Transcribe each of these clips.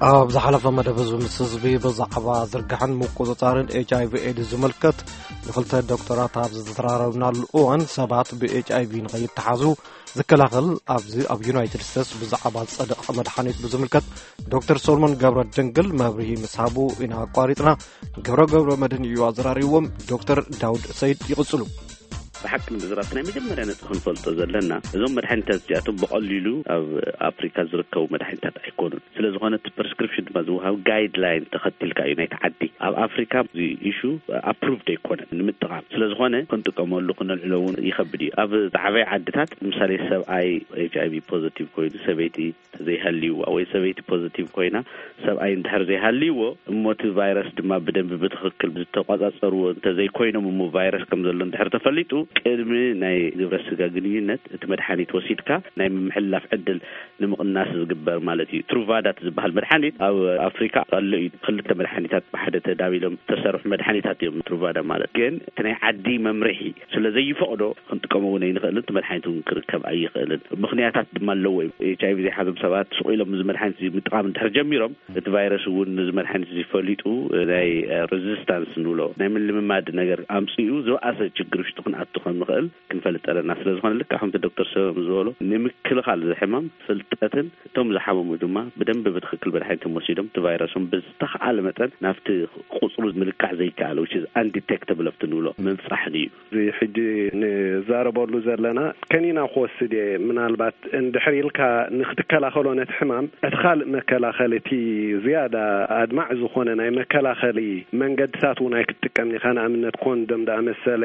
ኣብ ዝሓለፈ መደብ፣ ህዝቢ ምስ ህዝቢ ብዛዕባ ዝርግሐን ምቁጽጻርን ኤች ኣይ ቪ ኤድስ ዝምልከት ንኽልተ ዶክተራት ኣብ ዝተዘራረብናሉ እዋን፣ ሰባት ብ ኤች ኣይ ቪ ንኸይተሓዙ ዝከላኸል ኣብዚ ኣብ ዩናይትድ ስቴትስ ብዛዕባ ዝጸደቐ መድሓኒት ብዝምልከት ዶክተር ሶሎሞን ገብረ ድንግል መብርሂ ምስ ሃቡ ኢና ኣቋሪጽና። ገብረ ገብረ መድህን እዩ ኣዘራሪብዎም። ዶክተር ዳውድ ሰይድ ይቕጽሉ። ብሓቂ ንምዝራብ፣ ናይ መጀመርያ ነጥቢ ክንፈልጦ ዘለና፣ እዞም መድሓኒታት እዚኣቶም ብቐሊሉ ኣብ ኣፍሪካ ዝርከቡ መድሓኒታት ኣይኮኑን። ስለ ዝኾነ፣ እቲ ፕሪስክሪፕሽን ድማ ዝወሃብ ጋይድላይን ተኸቲልካ እዩ ናይቲ ዓዲ። ኣብ ኣፍሪካ እዚ ኢሹ ኣፕሩቭድ ኣይኮነን ንምጥቓም። ስለ ዝኾነ፣ ክንጥቀመሉ፣ ክነልዕሎ እውን ይኸብድ እዩ። ኣብ ዝዓበየ ዓድታት፣ ምሳሌ፣ ሰብኣይ ኤች ኣይ ቪ ፖዘቲቭ ኮይኑ፣ ሰበይቲ ዘይሃልይዋ ወይ ሰበይቲ ፖዘቲቭ ኮይና፣ ሰብኣይ እንድሕር ዘይሃልይዎ፣ እሞ እቲ ቫይረስ ድማ ብደንቢ ብትኽክል ዝተቋጻጸርዎ እንተዘይኮይኖም፣ እሞ ቫይረስ ከም ዘሎ እንድሕር ተፈሊጡ፣ ቅድሚ ናይ ግብረ ስጋ ግንኙነት እቲ መድሓኒት ወሲድካ፣ ናይ ምምሕልላፍ ዕድል ንምቕናስ ዝግበር ማለት እዩ። ትሩቫዳ እቲ ዝበሃል መድሓኒት ኣብ ኣፍሪካ ኣሎ እዩ። ክልተ መድሓኒታት ብሓደ ተዳቢሎም ዝተሰርሑ መድሓኒታት እዮም፣ ትሩቫዳ ማለት። ግን እቲ ናይ ዓዲ መምርሒ ስለ ዘይፈቕዶ፣ ክንጥቀሞ እውን ኣይንኽእልን፣ እቲ መድሓኒት እውን ክርከብ ኣይኽእልን። ምኽንያታት ድማ ኣለዎ እዩ። ኤች ኣይ ቪ ዘይሓዞም ሰባት ስቕ ኢሎም እዚ መድሓኒት እዚ ምጥቓም እንድሕር ጀሚሮም፣ እቲ ቫይረስ እውን ነዚ መድሓኒት እዚ ፈሊጡ ናይ ሬዚስታንስ ንብሎ፣ ናይ ምልምማድ ነገር ኣምፅኡ ዝበኣሰ ችግር ውሽጢ ክንኣቱ ከም ንኽእል ክንፈልጥ ኣለና። ስለ ዝኾነ፣ ልክዕ ከምቲ ዶክተር ሰበም ዝበሎ፣ ንምክልኻል እዚ ሕማም ፍልጠትን እቶም ዝሓመሙ ድማ ብደንቢ ብትኽክል መድሓኒቶም ወሲዶም፣ እቲ ቫይረሶም ብዝተኽኣለ መጠን ናብቲ ቁፅሩ ምልካዕ ዘይከኣል፣ which is undetectable ኣብቲ ንብሎ፣ ምብፃሕ እዩ። እዚ ሕጂ ንዛረበሉ ዘለና፣ ከኒና ክወስድ እየ። ምናልባት እንድሕር ኢልካ ንክትከላኸሎ ነቲ ሕማም፣ እቲ ካልእ መከላኸሊ፣ እቲ ዝያዳ ኣድማዕ ዝኾነ ናይ መከላኸሊ መንገድታት እውን ኣይክትጥቀምን ኢኻ። ንኣብነት፣ ኮንዶም ደኣ መሰለ፣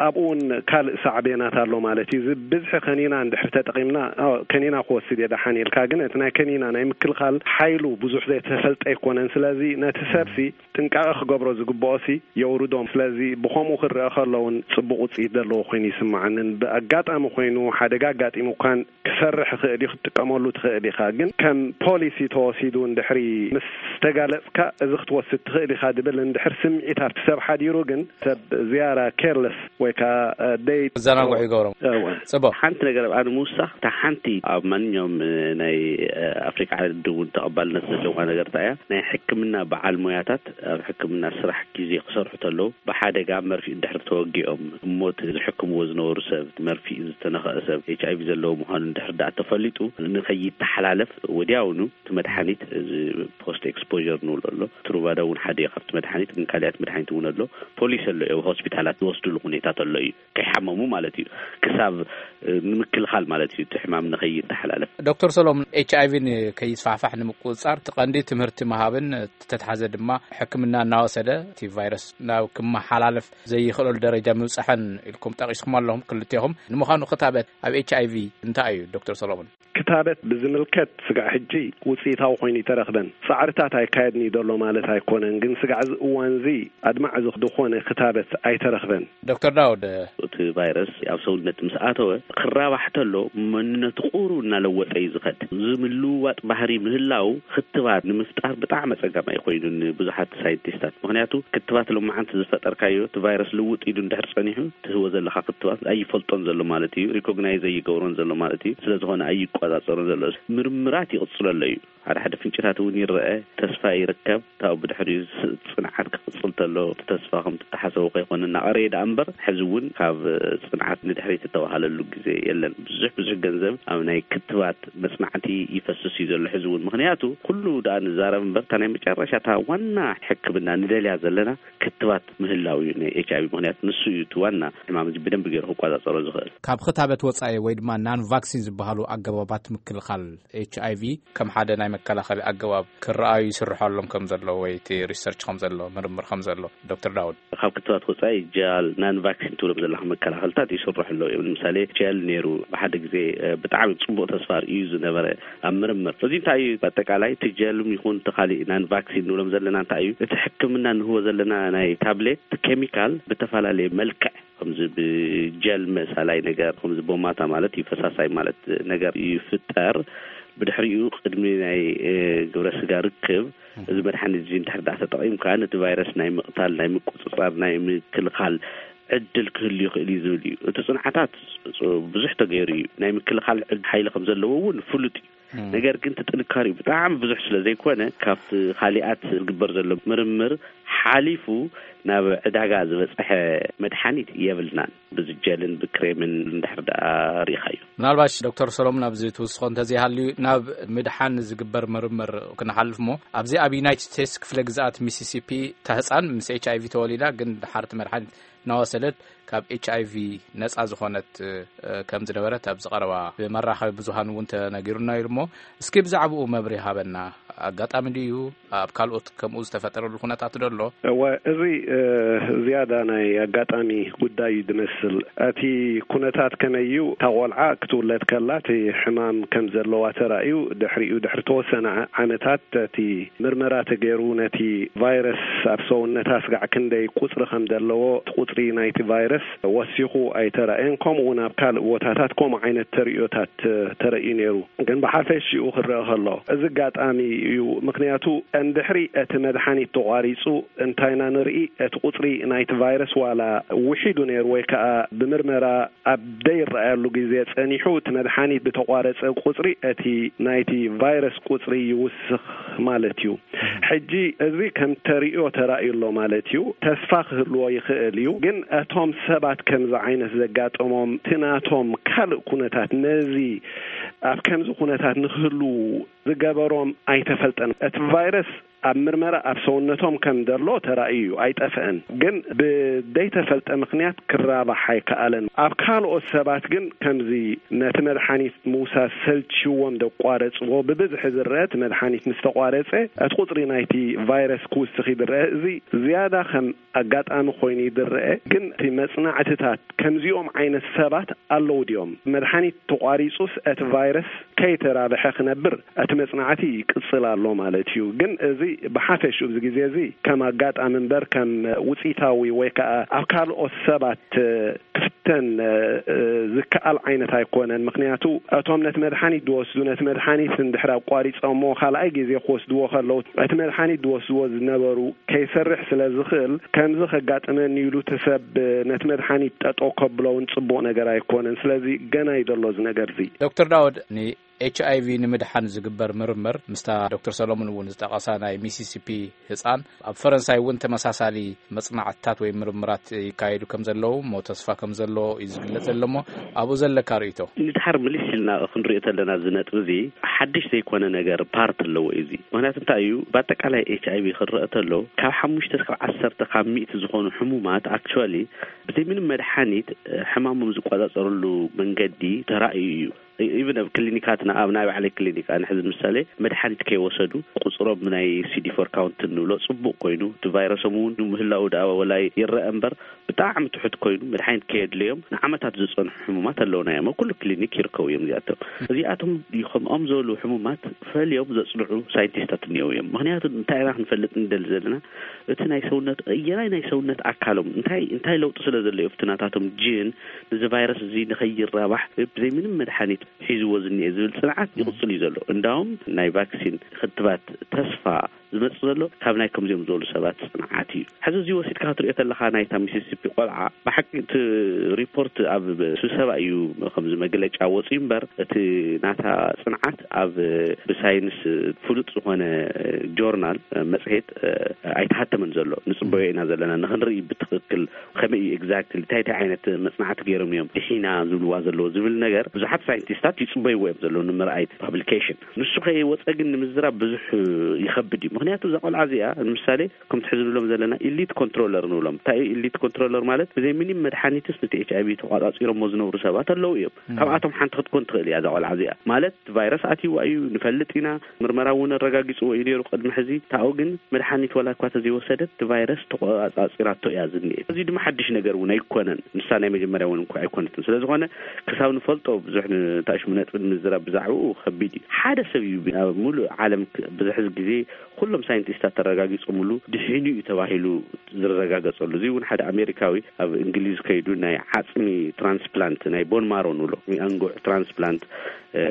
ኣብኡ እውን ካልእ ሳዕቤናት ኣሎ ማለት እዩ። እዚ ብዝሒ ከኒና እንድሕር ተጠቒምና፣ ኣዎ፣ ከኒና ክወስድ እየ ደሓን ኢልካ፣ ግን እቲ ናይ ከኒና ናይ ምክልኻል ሓይሉ ብዙሕ ዘይተፈልጠ ኣይኮነን። ስለዚ ነቲ ሰብሲ ጥንቃቐ ክገብሮ ዝግብኦሲ የውርዶም። ስለዚ ብኸምኡ ክረአ ከሎ እውን ጽቡቕ ውጽኢት ዘለዎ ኮይኑ ይስምዓንን፣ ብኣጋጣሚ ኮይኑ፣ ሓደጋ ኣጋጢሙካን ክሰርሕ ይኽእል እዩ፣ ክትጥቀመሉ ትኽእል ኢኻ። ግን ከም ፖሊሲ ተወሲዱ እንድሕሪ ምስ ተጋለጽካ፣ እዚ ክትወስድ ትኽእል ኢኻ ድብል እንድሕር ስምዒት ኣብቲ ሰብ ሓዲሩ፣ ግን ሰብ ዝያዳ ኬርለስ ወይ ከዓ፣ እ፣ ደይ-፣ ዘናግዑ ይገብሮም። እወ። ጽቡቕ። ሓንቲ ነገር ኣብ ኣነ ምውሳኽ፣ እታ ሓንቲ ኣብ ማንኛውም፣ እ፣ ናይ፣ እ፣ ኣፍሪካ ዓዲ እውን ተቐባልነት ዘለዋ ነገር እታ እያ። ናይ ሕክምና በዓል ሞያታት ኣብ ሕክምና ስራሕ ግዜ ክሰርሑ ተለዉ፣ ብሓደጋ መርፊእ እንድሕር ተወጊኦም፣ እሞ እቲ ዝሕክምዎ ዝነበሩ ሰብ፣ መርፊእ ዝተነኽአ ሰብ፣ ኤች ኣይ ቪ ዘለዎ ምዃኑ እንድሕር ደኣ ተፈሊጡ፣ ንኸይተሓላለፍ ወዲያውኑ እቲ መድሓኒት፣ እዚ ፖስት ኤክስፖዠር ንብሎ ኣሎ። ትሩቫዳ እውን ሓደ እዩ ካብቲ መድሓኒት፣ ግን ካልኣት መድሓኒት እውን ኣሎ። ፖሊሲ ኣሎ እዩ፣ ኣብ ሆስፒታላት ዝወስድሉ ኩነታት ኣሎ እዩ፣ ከይሓመሙ ማለት እዩ። ክሳብ፣ እ፣ ንምክልኻል ማለት እዩ፣ እቲ ሕማም ንኸይተሓላለፍ። ዶክተር ሰሎሞን፣ ኤች ኣይ ቪ ንከይስፋሕፋሕ ንምቁጽጻር እቲ ቀንዲ ትምህርቲ ምሃብን፣ እቲ ተትሓዘ ድማ ሕክምና እናወሰደ እቲ ቫይረስ ናብ ክመሓላለፍ ዘይኽእለሉ ደረጃ ምብጻሕን ኢልኩም ጠቒስኩም ኣለኹም ክልቴኹም። ንምዃኑ ክታበት ኣብ ኤች ኣይ ቪ እንታይ እዩ ዶክተር ሰሎሞን? ክታበት ብዝምልከት፣ ስጋዕ ሕጂ ውጽኢታዊ ኮይኑ ይተረኽበን። ጻዕርታት ኣይካየድን እዩ ዘሎ ማለት ኣይኮነን፣ ግን ስጋዕ እዚ እዋን እዚ ኣድማዕ ዝኽ-፣ ዝኾነ ክታበት ኣይተረኽበን። ዶክተር ዳውድ። እቲ ቫይረስ ኣብ ሰውነት ምስ ኣተወ፣ ክራባሕ ተሎ መንነቱ ቁሩብ እናለወጠ እዩ ዝኸድ። እዚ ምልውዋጥ ባህሪ ምህላው፣ ክትባት ንምፍጣር ብጣዕሚ ኣጸጋማይ ኮይኑ ንብዙሓት ሳይንቲስታት። ምኽንያቱ፣ ክትባት ሎማዓንቲ ዝፈጠርካዮ፣ እቲ ቫይረስ ልውጥ ኢሉ እንድሕር ጸኒሑ፣ ትህቦ ዘለኻ ክትባት ኣይፈልጦን ዘሎ ማለት እዩ። ሪኮግናይዝ ኣይገብሮን ዘሎ ማለት እዩ። ስለ ዝኾነ ኣይቆጻጸሮን ዘሎ። ምርምራት ይቕጽለሎ እዩ። ሓደ ሓደ ፍንጭታት እውን ይረአ፣ ተስፋ ይርከብ። ካብኡ ብድሕሪኡ ስ-፣ ጽንዓት ክቕጽል ተሎ፣ እቲ ተስፋ ከም ዝተሓሰቦ ከይኮነ እናቐረየ ደኣ እምበር፣ ሕዚ እውን ካብ ጽንዓት ንድሕሪት እተባህለሉ ግዜ የለን። ብዙሕ ብዙሕ ገንዘብ ኣብ ናይ ክትባት መጽናዕቲ ይፈስስ እዩ ዘሎ ሕዚ እውን። ምኽንያቱ፣ ኩሉ ደኣ ንዛረብ እምበር፣ እታ ናይ መጨረሻ፣ እታ ዋና ሕክምና ንደልያ ዘለና ክትባት ምህላው እዩ፣ ን ኤች ኣይ ቪ። ምኽንያቱ፣ ንሱ እዩ እቲ ዋና ሕማም እዚ ብደንቢ ገይሩ ክቆጻጸሮ ዝኽእል። ካብ ክታበት ወጻኢ ወይ ድማ ናን ቫክሲን ዝበሃሉ ኣገባባት ምክልኻል ኤች ኣይ ቪ ከም ሓደ ናይ መከላኸሊ ኣገባብ ክረኣዩ ይስርሖሎም ከም ዘሎ ወይ እቲ ሪሰርች ከም ዘሎ፣ ምርምር ከም ዘሎ፣ ዶክተር ዳውድ? ካብ ክትባት ወጻኢ ጀል፣ ናን ቫክሲን ትብሎም ዘለኻ መከላኸልታት ይስርሑ ኣለዉ እዮም። ንምሳሌ ጀል ነይሩ፣ ብሓደ ግዜ፣ እ፣ ብጣዕሚ ጽቡቕ ተስፋ ርእዩ ዝነበረ ኣብ ምርምር። እዚ እንታይ እዩ? ብኣጠቃላይ እቲ ጀልም ይኹን እቲ ካሊእ ናን ቫክሲን ንብሎም ዘለና እንታይ እዩ? እቲ ሕክምና ንህቦ ዘለና ናይ ታብሌት ኬሚካል ብተፈላለየ መልክዕ፣ ከምዚ ብጀል መሳላይ ነገር፣ ከምዚ ቦማታ ማለት እዩ፣ ፈሳሳይ ማለት ነገር ይፍጠር። ብድሕሪኡ ቅድሚ ናይ፣ እ፣ ግብረ ስጋ ርክብ፣ እዚ መድሓኒት እዚ እንድሕር ደኣ ተጠቒምካ፣ ነቲ ቫይረስ ናይ ምቕታል፣ ናይ ምቁጽጻር፣ ናይ ምክልኻል ዕድል ክህሉ ይኽእል እዩ ዝብል እዩ። እቲ ጽንዓታት ብዙሕ ተገይሩ እዩ። ናይ ምክልኻል ዕድ-፣ ሓይሊ ከም ዘለዎ እውን ፍሉጥ እዩ። ነገር ግን እቲ ጥንካሬኡ ብጣዕሚ ብዙሕ ስለ ዘይኮነ፣ ካብቲ ካሊኣት ዝግበር ዘሎ ምርምር ሓሊፉ ናብ ዕዳጋ ዝበፅሐ መድሓኒት የብልናን። ብዝጀልን ብክሬምን እንድሕር ደኣ ርኢኻዮ። ምናልባሽ ዶክተር ሰሎሞን፣ ኣብዚ ትውስኾ እንተዘይሃልዩ፣ ናብ ምድሓን ዝግበር ምርምር ክንሓልፍ እሞ፣ ኣብዚ ኣብ ዩናይትድ ስቴትስ ክፍለ ግዝኣት ሚሲሲፒ፣ እታ ህፃን ምስ ኤች ኣይ ቪ ተወሊዳ፣ ግን ድሓር እቲ መድሓኒት እናወሰደት ካብ ኤች ኣይ ቪ ነፃ ዝኾነት ከም ዝነበረት ኣብዚ ቀረባ ብመራኸቢ ብዙሃን እውን ተነጊሩና ኢሉ እሞ፣ እስኪ ብዛዕባኡ መብርሂ ሃበና። ኣጋጣሚ ድዩ? ኣብ ካልኦት ከምኡ ዝተፈጠረሉ ኩነታት ዶ ኣሎ? እወ፣ እዚ ዝያዳ ናይ ኣጋጣሚ ጉዳይ እዩ ዝመስል። እቲ ኩነታት ከመይ እዩ? እታ ቆልዓ ክትውለድ ከላ እቲ ሕማም ከም ዘለዋ ተራእዩ፣ ድሕሪኡ ድሕሪ ተወሰነ ዓመታት እቲ ምርመራ ተገይሩ፣ ነቲ ቫይረስ ኣብ ሰውነታ ስጋዕ ክንደይ ቁፅሪ ከም ዘለዎ፣ እቲ ቁፅሪ ናይቲ ቫይረስ ወሲኹ ኣይተራእየን። ከምኡ እውን ኣብ ካልእ ቦታታት ከምኡ ዓይነት ተርእዮታት ተረእዩ ነይሩ። ግን ብሓፈሽኡ ክረአ ከሎ፣ እዚ ኣጋጣሚ እዩ። ምክንያቱ፣ እንድሕሪ እቲ መድሓኒት ተቋሪፁ እንታይና ንርኢ፣ እቲ ቁፅሪ ናይቲ ቫይረስ ዋላ ውሒዱ ነይሩ ወይ ከዓ ብምርመራ ኣብ ደይረኣየሉ ግዜ ጸኒሑ፣ እቲ መድሓኒት ብተቋረጸ ቁጽሪ፣ እቲ ናይቲ ቫይረስ ቁጽሪ ይውስኽ ማለት እዩ። ሕጂ እዚ ከም ተርእዮ ተራእዩ ኣሎ ማለት እዩ። ተስፋ ክህልዎ ይኽእል እዩ። ግን እቶም ሰባት ከምዚ ዓይነት ዘጋጠሞም፣ እቲ ናቶም ካልእ ኩነታት ነዚ ኣብ ከምዚ ኩነታት ንክህልዉ ዝገበሮም ኣይተፈልጠን። እቲ ቫይረስ ኣብ ምርመራ ኣብ ሰውነቶም ከም ዘሎ ተራእዩ እዩ፣ ኣይጠፍአን። ግን ብደይተፈልጠ ምክንያት ክራባሕ ኣይከኣለን። ኣብ ካልኦት ሰባት ግን ከምዚ ነቲ መድሓኒት ምውሳድ ሰልችዎም ዘቋረጽዎ ብብዝሒ ዝረአ፣ እቲ መድሓኒት ምስ ተቋረጸ እቲ ቁጽሪ ናይቲ ቫይረስ ክውስኽ ይድረአ። እዚ ዝያዳ ከም ኣጋጣሚ ኮይኑ ይድረአ። ግን እቲ መጽናዕትታት ከምዚኦም ዓይነት ሰባት ኣለዉ ድዮም? መድሓኒት ተቋሪጹስ እቲ ቫይረስ ከይተራብሐ ክነብር እቲ መጽናዕቲ ይቅጽል ኣሎ ማለት እዩ። ግን እዚ ብሓፈሽኡ ኣብዚ ግዜ እዚ ከም ኣጋጣሚ እምበር ከም ውጽኢታዊ ወይ ከዓ ኣብ ካልኦት ሰባት ክፍተን ዝከኣል ዓይነት ኣይኮነን። ምክንያቱ እቶም ነቲ መድሓኒት ዝወስዱ፣ ነቲ መድሓኒት እንድሕር ኣቋሪጾሞ ካልኣይ ግዜ ክወስድዎ ከለዉ፣ እቲ መድሓኒት ዝወስድዎ ዝነበሩ ከይሰርሕ ስለ ዝኽእል፣ ከምዚ ከጋጥመኒ ኢሉ እቲ ሰብ ነቲ መድሓኒት ጠጠው ከብሎ እውን ጽቡቕ ነገር ኣይኮነን። ስለዚ ገና እዩ ዘሎ እዚ ነገር እዚ። ዶክተር ዳውድ፣ ንኤች ኣይ ቪ ንምድሓን ዝግበር ምርምር፣ ምስታ ዶክተር ሰሎሞን እውን ዝጠቐሳ ናይ ሚሲሲፒ ህጻን፣ ኣብ ፈረንሳይ እውን ተመሳሳሊ መጽናዕትታት ወይ ምርምራት ይካየዱ ከም ዘለዉ እሞ፣ ተስፋ ከም ዘሎ እዩ ዝግለጽ ዘሎ እሞ፣ ኣብኡ ዘለካ ርእይቶ? ንድሓር ምልስ ኢልና ክንሪኦ ተለና፣ እዚ ነጥቢ እዚ ሓድሽ ዘይኮነ ነገር ፓርት ኣለዎ እዩ እዚ። ምክንያቱ እንታይ እዩ? ብኣጠቃላይ ኤች ኣይ ቪ ክረአ ተሎ፣ ካብ ሓሙሽተ እስካብ ዓሰርተ ካብ ሚእቲ ዝኾኑ ሕሙማት፣ ኣክቹዋሊ፣ ብዘይ ምንም መድሓኒት፣ እ፣ ሕማሞም ዝቆጻጸርሉ መንገዲ ተራእዩ እዩ። ኢ-፣ ኢቭን ኣብ ክሊኒካትና፣ ኣብ ናይ ባዕለይ ክሊኒክ፣ ኣነ ሕዚ ምሳሌ፣ መድሓኒት ከይወሰዱ ቁጽሮም ናይ ሲ ዲ ፎር ካውንት እንብሎ ጽቡቕ ኮይኑ፣ እቲ ቫይረሶም እውን ንምህላው ደኣ ወላ ይረአ እምበር፣ ብጣዕሚ ትሑት ኮይኑ፣ መድሓኒት ከየድለዮም ንዓመታት ዝጸንሑ ሕሙማት ኣለውና እዮም። ኣብ ኩሉ ክሊኒክ ይርከቡ እዮም እዚኣቶም። እዚኣቶም ከምኦም ዝበሉ ሕሙማት ፈልዮም ዘጽንዑ ሳይንቲስታት እኒአው እዮም። ምክንያቱ እንታይ ኢና ክንፈልጥ ንደሊ ዘለና? እቲ ናይ ሰውነት፣ ኣየናይ ናይ ሰውነት ኣካሎም እንታይ፣ እንታይ ለውጢ ስለ ዘሎ እዩ ኣብቲ ናታቶም ጂን፣ እዚ ቫይረስ እዚ ንኸይራባሕ ብዘይ ምንም መድሓኒት ሒዝዎ ዝኒኤ ዝብል ጽንዓት ይቕጽል እዩ ዘሎ። እንዳውም ናይ ቫክሲን ክትባት ተስፋ ዝመጽእ ዘሎ ካብ ናይ ከምዚኦም ዝበሉ ሰባት ጽንዓት እዩ። ሕዚ እዚ ወሲድካ ክትሪኦ ተለኻ፣ ናይታ ሚሲሲፒ ቆልዓ፣ ብሓቂ እቲ ሪፖርት ኣብ ስብሰባ እዩ ከምዚ መግለጫ ወጺኡ እምበር፣ እቲ ናታ ጽንዓት ኣብ ብሳይንስ ፍሉጥ ዝኾነ ጆርናል፣ መጽሔት፣ ኣይተሃተመን ዘሎ። ንጽበዮ ኢና ዘለና፣ ንኽንርኢ ብትኽክል ከመይ እዩ ኤግዛክትሊ፣ እንታይ እንታይ ዓይነት መጽናዕቲ ገይሮም እዮም ድሒና ዝብልዋ ዘለዎ ዝብል ነገር ብዙሓት ሳይንቲስታት ይጽበይዎ እዮም ዘለዉ ንምርኣይ ፓብሊኬሽን። ንሱ ከይወጸ ግን ንምዝራብ ብዙሕ ይኸብድ እዩ። ምኽንያቱ እዛ ቆልዓ እዚኣ ንምሳሌ ከምቲ ሕዚ ንብሎም ዘለና ኢሊት ኮንትሮለር ንብሎም። እንታይ እዩ ኢሊት ኮንትሮለር ማለት? ብዘይ ምንም መድሓኒትስ ነቲ ኤች ኣይ ቪ ተቋጺሮሞ ዝነብሩ ሰባት ኣለዉ እዮም። ካብኣቶም ሓንቲ ክትኮን ትኽእል እያ እዛ ቆልዓ እዚኣ። ማለት እቲ ቫይረስ ኣትይዋ እዩ ንፈልጥ ኢና፣ ምርመራ እውን ኣረጋጊጽዎ እዩ ነይሩ ቅድሚ ሕዚ። ታኡ ግን መድሓኒት ዋላ እኳ ተዘይወሰደት እቲ ቫይረስ ተቆጻጺራቶ እያ ዝኒኤ። እዚ ድማ ሓድሽ ነገር እውን ኣይኮነን። ንሳ ናይ መጀመርያ እውን እንኳ ኣይኮነትን። ስለ ዝኾነ ክሳብ ንፈልጦ ብዙሕ ንታሽሙ ነጥቢ ንምዝራብ ብዛዕባኡ ከቢድ እዩ። ሓደ ሰብ እዩ ኣብ ሙሉእ ዓለም ክ-፣ ብዙሕ ግዜ ኩሎም ሳይንቲስታት ተረጋጊጾምሉ ድሒኑ እዩ ተባሂሉ ዝረጋገጸሉ። እዚ እውን ሓደ ኣሜሪካዊ ኣብ እንግሊዝ ከይዱ ናይ ዓጽሚ ትራንስፕላንት፣ ናይ ቦን ማሮ ንብሎ፣ ናይ ኣንጉዕ ትራንስፕላንት፣ እ፣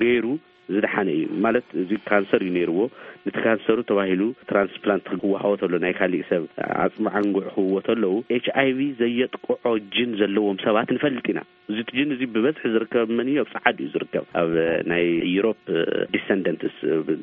ገይሩ ዝደሓነ እዩ። ማለት እዚ ካንሰር እዩ ነይርዎ። ነቲ ካንሰሩ ተባሂሉ ትራንስፕላንት ክወሃቦ ተሎ፣ ናይ ካሊእ ሰብ ዓጽሚ ኣንጉዕ ክህብዎ ተለዉ፣ ኤች ኣይ ቪ ዘየጥቅዖ ጅን ዘለዎም ሰባት ንፈልጥ ኢና። እዚ እቲ ጅን እዚ ብበዝሒ ዝርከብ መን እዩ? ኣብ ጸዓዱ እዩ ዝርከብ። ኣብ ናይ ዩሮፕ ዲሰንደንትስ፣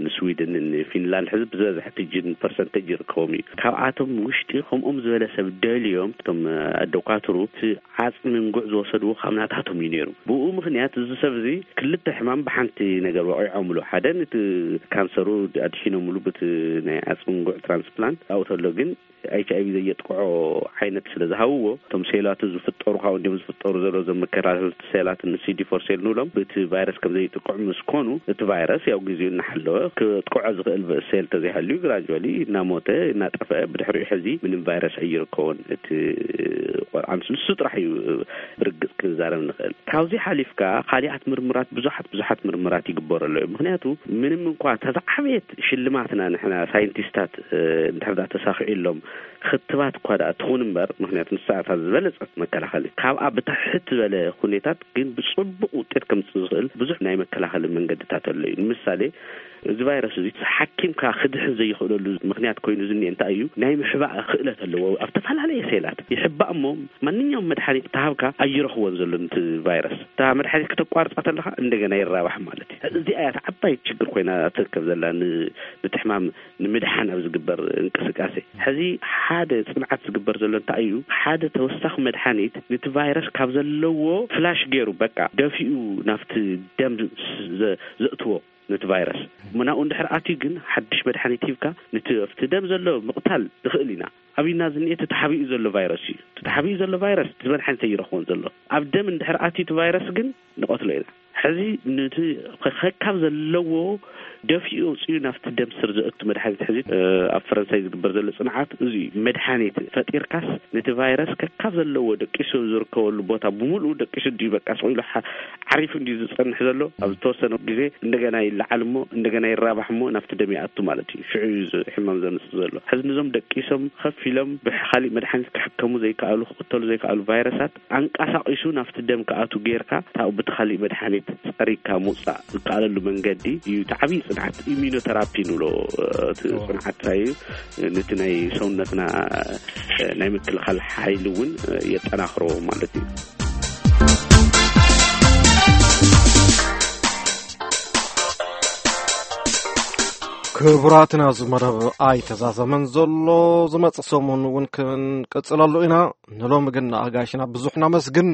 ንስዊድን፣ ንፊንላንድ ሕዚ ብዝበዝሐ እቲ ጅን ፐርሰንቴጅ ይርከቦም እዩ። ካብኣቶም ውሽጢ ከምኦም ዝበለ ሰብ ደልዮም እቶም ኣደኳትሩ እቲ ዓጽሚ እንጉዕ ዝወሰድዎ ካብ ናታቶም እዩ ነይሩ። ብኡ ምኽንያት እዚ ሰብ እዚ ክልተ ሕማም ብሓንቲ ነገር ወቒዖምሉ። ሓደ ነቲ ካንሰሩ ኣድሒኖምሉ ብቲ ናይ ዓጽሚ እንጉዕ ትራንስፕላንት፣ ኣብኡ ተሎ ግን ኤች ኣይ ቪ ዘየጥቅዖ ዓይነት ስለ ዝሃብዎ፣ እቶም ሴላት ዝፍጠሩ፣ ካብኡ እንዲም ዝፍጠሩ ዘሎ ዘመከላኸልቲ ሴላት፣ ን ሲ ዲ ፎር ሴል ንብሎም፣ ብቲ ቫይረስ ከም ዘይጥቅዑ ምስ ኮኑ፣ እቲ ቫይረስ ያው ግዜኡ እናሓለወ ክጥቅዖ ዝኽእል ብ-፣ ሴል ተዘይሃልዩ ግራጁዋሊ እናሞተ እናጠፍአ፣ ብድሕሪኡ ሕዚ ምንም ቫይረስ ኣይርከቦን። እቲ ቆልዓ ምስ ንሱ ጥራሕ እዩ ብርግጽ ክንዛረብ ንኽእል። ካብዚ ሓሊፍካ ካሊኣት ምርምራት፣ ብዙሓት ብዙሓት ምርምራት ይግበረሉ እዩ። ምኽንያቱ ምንም እንኳ እታ ዝዓበየት ሽልማትና ንሕና ሳይንቲስታት፣ እ፣ እንድሕር ደኣ ተሳኺዑሎም ክትባት እኳ ደኣ ትኹን እምበር፣ ምኽንያቱ ንሳ እታ ዝበለጸት መከላኸሊ፣ ካብኣ ብትሕት ዝበለ ሁኔታት ግን ብጽቡቕ ውጤት ከምጽእ ዝኽእል ብዙሕ ናይ መከላኸሊ መንገድታት ኣሎ እዩ። ንምሳሌ፣ እዚ ቫይረስ እዚ ሓኪምካ ክድሕን ዘይኽእለሉ ምኽንያት ኮይኑ ዝኒኤ እንታይ እዩ? ናይ ምሕባእ ክእለት ኣለዎ። ኣብ ዝተፈላለየ ሴላት ይሕባእ እሞ፣ ማንኛውም መድሓኒት ተሃብካ ኣይረኽቦን ዘሎ ነቲ ቫይረስ። እታ መድሓኒት ክተቋርጻ ተለኻ እንደገና ይራባሕ ማለት እዩ። እዚኣ እያ እታ ዓባይ ችግር ኮይና ትርከብ ዘላ ን-፣ ነቲ ሕማም ንምድሓን ኣብ ዝግበር እንቅስቃሴ። ሕዚ ሓደ ጽንዓት ዝግበር ዘሎ እንታይ እዩ? ሓደ ተወሳኺ መድሓኒት ነቲ ቫይረስ ካብ ዘለዎ ፍላሽ ገይሩ፣ በቃ፣ ደፊኡ ናብቲ ደም ስ-፣ ዘ-፣ ዘእትዎ ነቲ ቫይረስ። ናብኡ እንድሕር ኣትዩ ግን ሓድሽ መድሓኒት ሂብካ ነቲ ኣብቲ ደም ዘሎ ምቕታል ንኽእል ኢና። ኣብና ዝኒኤ እቲ ተሓቢኡ ዘሎ ቫይረስ እዩ። እቲ ተሓቢኡ ዘሎ ቫይረስ እቲ መድሓኒት ኣይረኽቦን ዘሎ። ኣብ ደም እንድሕር ኣትዩ እቲ ቫይረስ ግን ንቐትሎ ኢና። ሕዚ ነቲ ከ-፣ ከካብ ዘለዎ ደፊኡ ኣውፂኡ ናብቲ ደም ስር ዘእቱ መድሓኒት ሕዚ፣ እ፣ ኣብ ፈረንሳይ ዝግበር ዘሎ ጽንዓት እዚ እዩ። መድሓኒት ፈጢርካስ ነቲ ቫይረስ ከካብ ዘለዎ ደቂሱ ዝርከበሉ ቦታ ብምሉኡ ደቂሱ ድዩ በቃ ስቕ ኢሉ ሓ-፣ ዓሪፉ እንድዩ ዝጸንሕ ዘሎ? ኣብ ዝተወሰነ ግዜ እንደገና ይለዓል እሞ እንደገና ይራባሕ እሞ ናብቲ ደም ይኣቱ ማለት እዩ። ሽዑ እዩ እዚ ሕማም ዘምጽእ ዘሎ። ሕዚ ነዞም ደቂሶም ከፊሎም ብካሊእ መድሓኒት ክሕከሙ ዘይከኣሉ፣ ክቕተሉ ዘይከኣሉ ቫይረሳት ኣንቀሳቒሱ ናብቲ ደም ክኣቱ ጌርካ፣ ታው ብቲ ካሊእ መድሓኒት ጸሪግካ ምውጻእ ዝከኣለሉ መንገዲ እዩ። እቲ ዓብዪ ጽንዓት ኢሚኖተራፒ ንብሎ፣ እ፣ እቲ እዎ። ጽንዓት እንታይ እዩ? ነቲ ናይ ሰውነትና፣ እ፣ ናይ ምክልኻል ሓይሊ እውን፣ እ፣ የጠናኽሮ ማለት እዩ። ክቡራትና፣ እዚ መደብ ኣይተዛዘመን ዘሎ። ዝመጽእ ሰሙን እውን ክንቅጽለሉ ኢና። ንሎሚ ግን ንኣጋይሽና ብዙሕ ነመስግን።